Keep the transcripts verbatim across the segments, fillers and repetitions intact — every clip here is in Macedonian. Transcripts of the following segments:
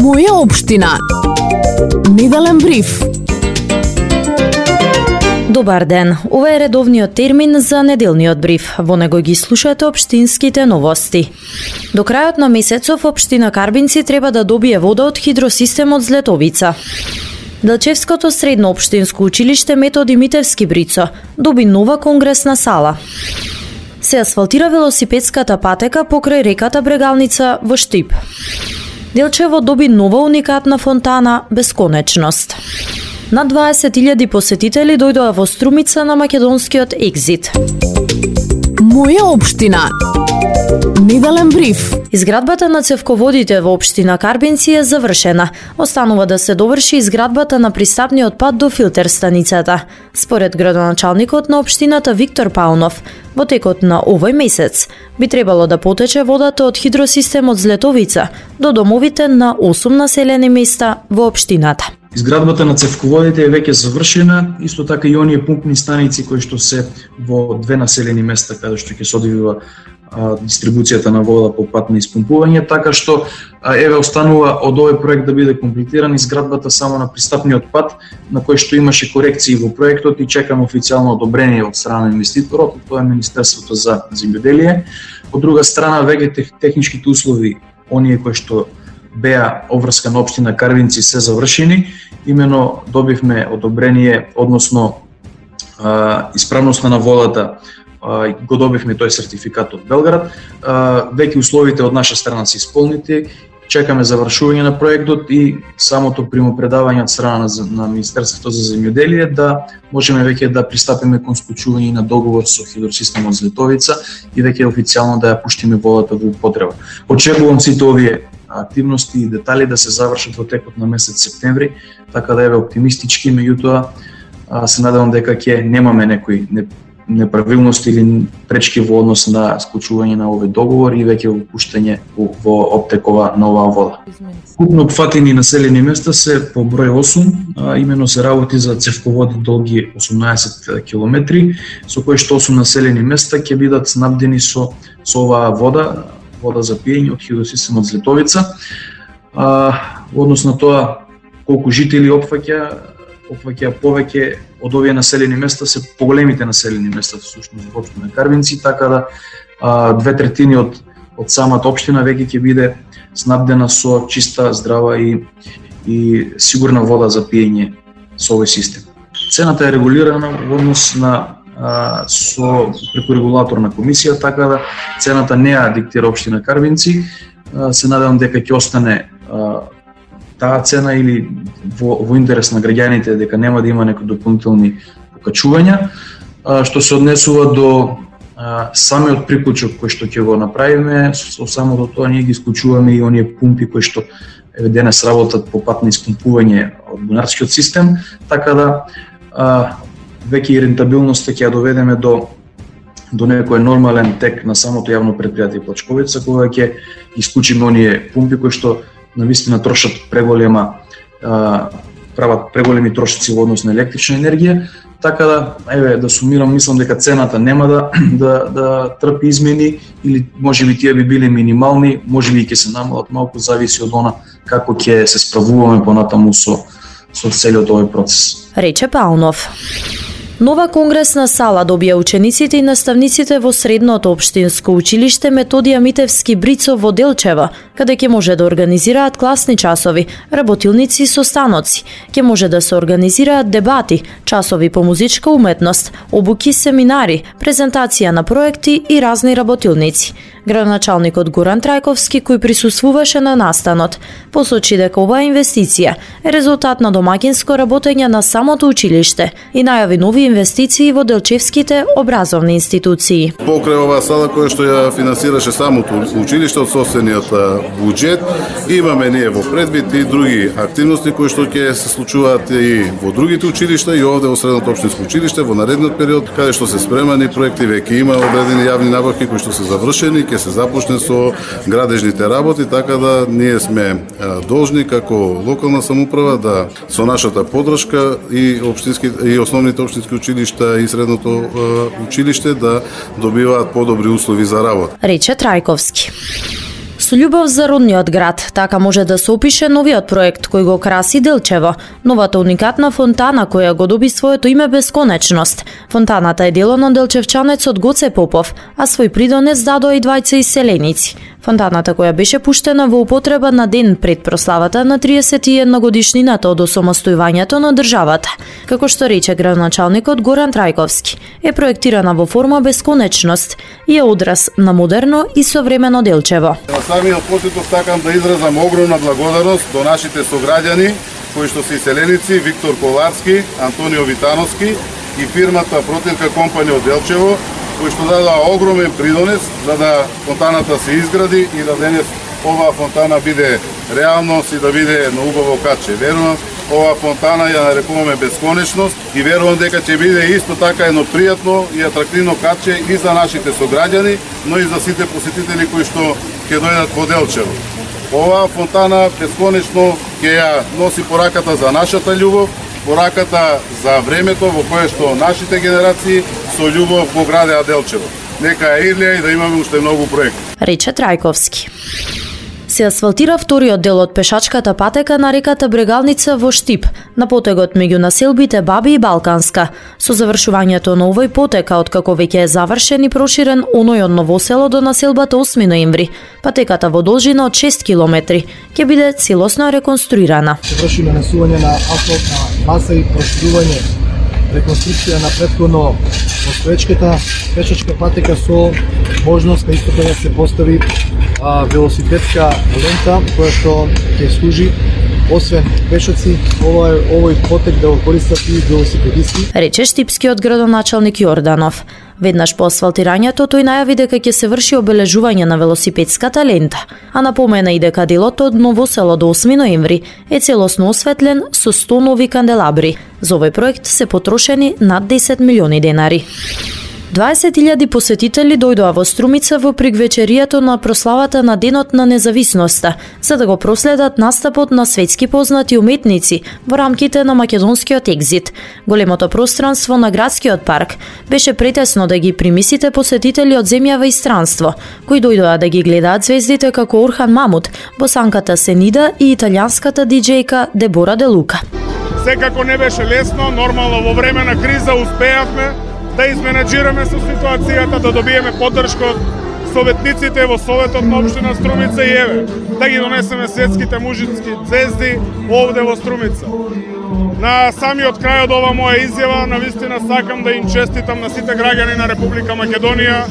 Моја општина. Неделен бриф. Добар ден. Ова е редовниот термин за неделниот бриф. Во него ги слушате општинските новости. До крајот на месецов општина Карбинци треба да добие вода од хидросистемот Злетовица. Делчевското средно општинско училиште Методи Митевски Брицо доби нова конгресна сала. Се асфалтира велосипедската патека покрај реката Брегалница во Штип. Делчево доби нова уникатна фонтана Бесконечност. Над дваесет илјади посетители дојдоа во Струмица на македонскиот екзит. Моја општина. Неделен бриф. Изградбата на цевководите во општина Карбинци е завршена. Останува да се доврши изградбата на пристапниот пат до филтер станицата. Според градоначалникот на општината Виктор Паунов, во текот на овој месец би требало да потече водата од хидросистемот Злетовица до домовите на осум населени места во општината. Изградбата на цевководите е веќе завршена, исто така и оние пумпни станици кои што се во две населени места каде што ќе се одвива а, дистрибуцијата на вода по пат на испумпување, така што а, еве останува од овој проект да биде комплетиран изградбата само на пристапниот пат, на кој што имаше корекции во проектот и чекаме официјално одобрение од страна на инвеститорот, тоа е Министерството за земјоделие. Од друга страна, веќе техничките услови, оние кои што беа обврска на општина Карбинци се завршени, имено добивме одобрение, односно а, исправноста на водата, а, го добивме тој сертификат од Белград, а, веќе условите од наша страна се исполнети, чекаме завршување на проектот и самото примопредавање од страна на, на Министерството за земјоделие да можеме веќе да пристапиме кон склучување на договор со хидросистемот Злетовица и веќе официјално да ја пуштиме водата во употреба. Очекувам сите овие активности и детали да се завршат во текот на месец септември, така да еве оптимистички, меѓутоа се надевам дека ќе немаме некои неправилности или пречки во однос на склучување на овој договор и веќе во пуштање во оптекова на оваа вода. Купно опфатени населени места се по број осум, а имено се работи за цевководи долги осумнаесет километри, со кои што осум населени места ќе бидат снабдени со со оваа вода, вода за пиење од хидросистемот Злетовица. А, во однос на тоа колку жители опфаќа, опфаќа повеќе од овие населени места се поголемите населени места всушност во општина Карбинци, така да а, две третини од од самата општина веќе ќе биде снабдена со чиста, здрава и и сигурна вода за пиење со овој систем. Цената е регулирана во однос на а, со преку регулаторна комисија, така да цената не ја диктира општина Карбинци. А, се надевам дека ќе остане а, таа цена или во, во интерес на граѓаните, дека нема да има некои дополнителни покачувања. А, што се однесува до а, самиот приклучок кој што ќе го направиме, со самото тоа ние ги исклучуваме и оние пумпи кои што еве денес работат по пат на испумпување од бунарскиот систем, така да а, веќе и рентабилноста ќе ја доведеме до до некој нормален тек на самото јавно претпријатие Плачковица, кога ќе исклучиме оние пумпи кои што навистина трошат преголема, а, прават преголеми трошоци во однос на електрична енергија, така да еве да сумирам, мислам дека цената нема да да да трпи измени или можеби тие би биле минимални, можеби ќе се намалат малку, зависи од она како ќе се справуваме понатаму со со целиот овој процес. Рече Паунов. Нова конгресна сала добија учениците и наставниците во средното општинско училиште Методија Митевски Брицо во Делчево, каде ќе може да организираат класни часови, работилници со станоци, ќе може да се организираат дебати, часови по музичка уметност, обуки, семинари, презентација на проекти и разни работилници. Градоначалникот Горан Трајковски, кој присуствуваше на настанот, посочи дека оваа инвестиција е резултат на домаќинско работење на самото училиште и најави нови инвестиции во делчевските образовни институции. Покрај оваа сала која што ја финансираше самото училиште од сопствениот буџет, имаме ние во предвид и други активности кои што ќе се случуваат и во другите училишта и овде во средното општинско училиште во наредниот период, каде што се спремани проекти, веќе има одредени јавни набавки кои што се завршени, ќе се започне со градежните работи, така да ние сме должни како локална самоуправа да со нашата поддршка и општински и основните општински училишта и средното училиште да добиваат подобри услови за работа. Рече Трајковски. Со љубов за родниот град, така може да се опише новиот проект кој го краси Делчево, новата уникатна фонтана која го доби своето име Бесконечност. Фонтаната е дело на делчевчанецот Гоце Попов, а свој придонес дадоа и двајца иселеници. Фонтаната која беше пуштена во употреба на ден пред прославата на триесет и една годишнината од осамостојувањето на државата. Како што рече градоначалникот Горан Трајковски, е проектирана во форма Бесконечност и е одраз на модерно и современо Делчево. На самиот почеток сакам да изразам огромна благодарност до нашите сограѓани кои што се иселеници Виктор Коларски, Антонио Витановски и фирмата Протилка компанија од Делчево, кои што дадоа огромен придонес за да фонтаната се изгради и да денес оваа фонтана биде реалност и да биде едно убаво каче. Верувам, оваа фонтана ја нарекуваме Бесконечност и верувам дека ќе биде исто така едно пријатно и атрактивно каче и за нашите сограѓани, но и за сите посетители кои што ќе дојдат во Делчево. Оваа фонтана бесконечно ќе ја носи пораката за нашата љубов, пораката за времето во кое што нашите генерации со љубов го градеа Делчево. Нека е Ирлија и да имаме уште многу проекти. Рече Трајковски. Се асфалтира вториот дел од пешачката патека на реката Брегалница во Штип, на потегот меѓу населбите Баби и Балканска. Со завршувањето на овој потека, откако веќе е завршен и проширен оној од Новосело до населбата осми ноември, патеката во должина од шест километри ќе биде целосно реконструирана. Се врши нанесување на асфалтна маса и проширување, реконструкција на претходно постоечката пешачка патека со можност на исто така да се постави а, велосипедска лента која што ќе служи освен пешаци, овој овој потек да го користат и велосипедисти. Рече штипскиот градоначалник Јорданов. Веднаш по асфалтирањето тој најави дека ќе се врши обележување на велосипедската лента, а напомена и дека делот од Новосело до осми ноември е целосно осветлен со сто нови канделабри. За овој проект се потрошени над десет милиони денари. дваесет илјади посетители дојдоа во Струмица во пригвечеријето на прославата на Денот на независноста, за да го проследат настапот на светски познати уметници во рамките на македонскиот екзит. Големото пространство на градскиот парк беше претесно да ги прими сите посетители од земјава и странство, кои дојдоа да ги гледаат звездите како Орхан Мамут, босанката Сенида и италијанската диџејка Дебора Де Лука. Секако не беше лесно, нормално во време на криза успеавме да изменеджираме со ситуацијата, да добиеме поддршка од советниците во Советот на општина Струмица и еве, да ги донесеме светските мужички звезди овде во Струмица. На самиот крај од ова моја изјава, навистина сакам да им честитам на сите граѓани на Република Македонија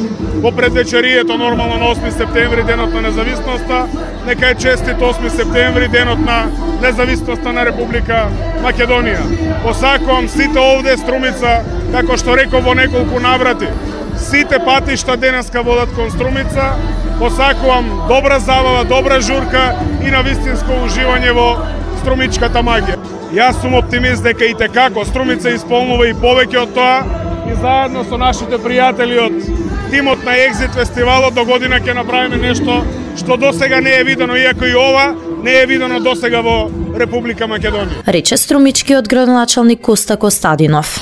во предвечерието нормално на осми септември, денот на независноста. Нека е честит осми септември, денот на независноста на Република Македонија. Посакувам сите овде Струмица, како што реков во неколку наврати, сите патишта денеска водат кон Струмица. Посакувам добра забава, добра журка и навистинско уживање во струмичката магија. Јас сум оптимист дека и текако Струмица исполнува и повеќе од тоа и заедно со нашите пријатели од тимот на Екзит фестивалот до година ќе направиме нешто што досега не е видено, иако и ова не е видено досега во Република Македонија. Рече струмичкиот градоначалник Коста Костадинов.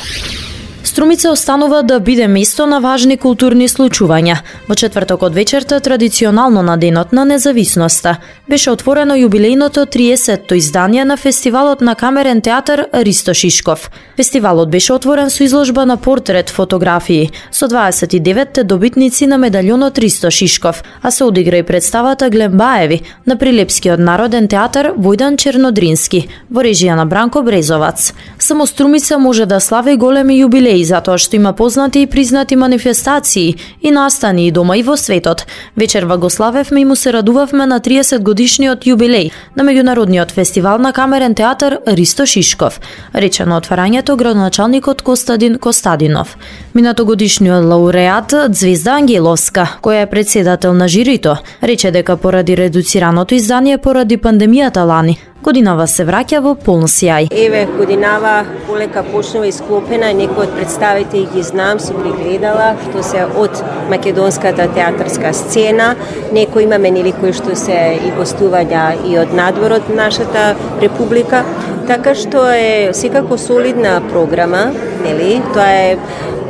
Струмица останува да биде место на важни културни случувања. Во четврток од вечерта, традиционално на Денот на независноста, беше отворено јубилејното триесетто издание на фестивалот на камерен театар Ристо Шишков. Фестивалот беше отворен со изложба на портрет фотографии со дваесет и деветте добитници на медалјонот Ристо Шишков, а се одигра и представата Глембаеви на Прилепскиот народен театар Војдан Чернодрински во режија на Бранко Брезовац. Само Струмица може да слави големи јубилеи затоа што има познати и признати манифестации и настани и дома и во светот. Вечерва го славевме и му се радувавме на триесет годишниот јубилеј на меѓународниот фестивал на камерен театар Ристо Шишков, рече на отварањето градоначалникот Костадин Костадинов. Минатогодишниот лауреат Звезда Ангеловска, која е председател на жирито, рече дека поради редуцираното издание поради пандемијата лани, годинава се враќа во полн сјај. Еве, годинава полека почнува исклопена, некои од представители ги знам, сум ги гледала, што се од македонската театарска сцена, некои имаме нели кои што се и гостувања и од надвор од нашата република, така што е секако солидна програма, нели? Тоа е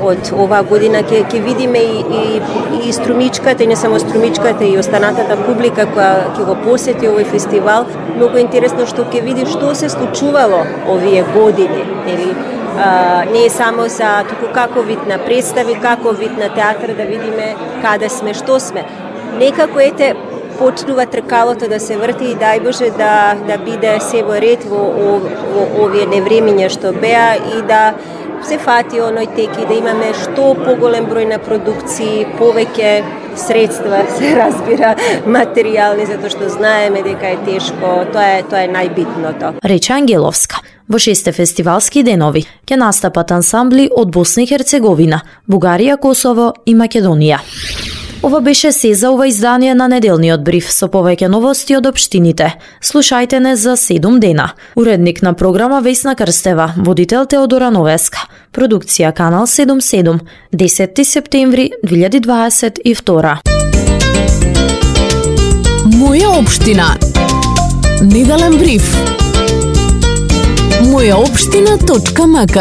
од оваа година ќе ќе видиме и, и и струмичката, и не само струмичката, и останатата публика која ќе го посети овој фестивал. Многу интересно што ќе види што се случувало овие години, нели? А, не е само за туку како вид на представи, како вид на театар, да видиме каде сме, што сме. Некако ете почнува тркалото да се врти и дај Боже да да биде се во ред во, во, во овие невремиња што беа и да се фати оној тек и да имаме што поголем број на продукции, повеќе средства, се разбира, материјални, затоа што знаеме дека е тешко, тоа е тоа е најбитното. Рече Ангеловска. Во шесте фестивалски денови ќе настапат ансамбли од Босна и Херцеговина, Бугарија, Косово и Македонија. Ова беше се за ова издание на неделниот бриф со повеќе новости од општините. Слушајте не за седум дена. Уредник на програма Весна Крстева, водител Теодора Новеска. Продукција Канал седумдесет и седум, десети септември две илјади дваесет и втора. Моја општина. Неделен бриф. моја општина точка м к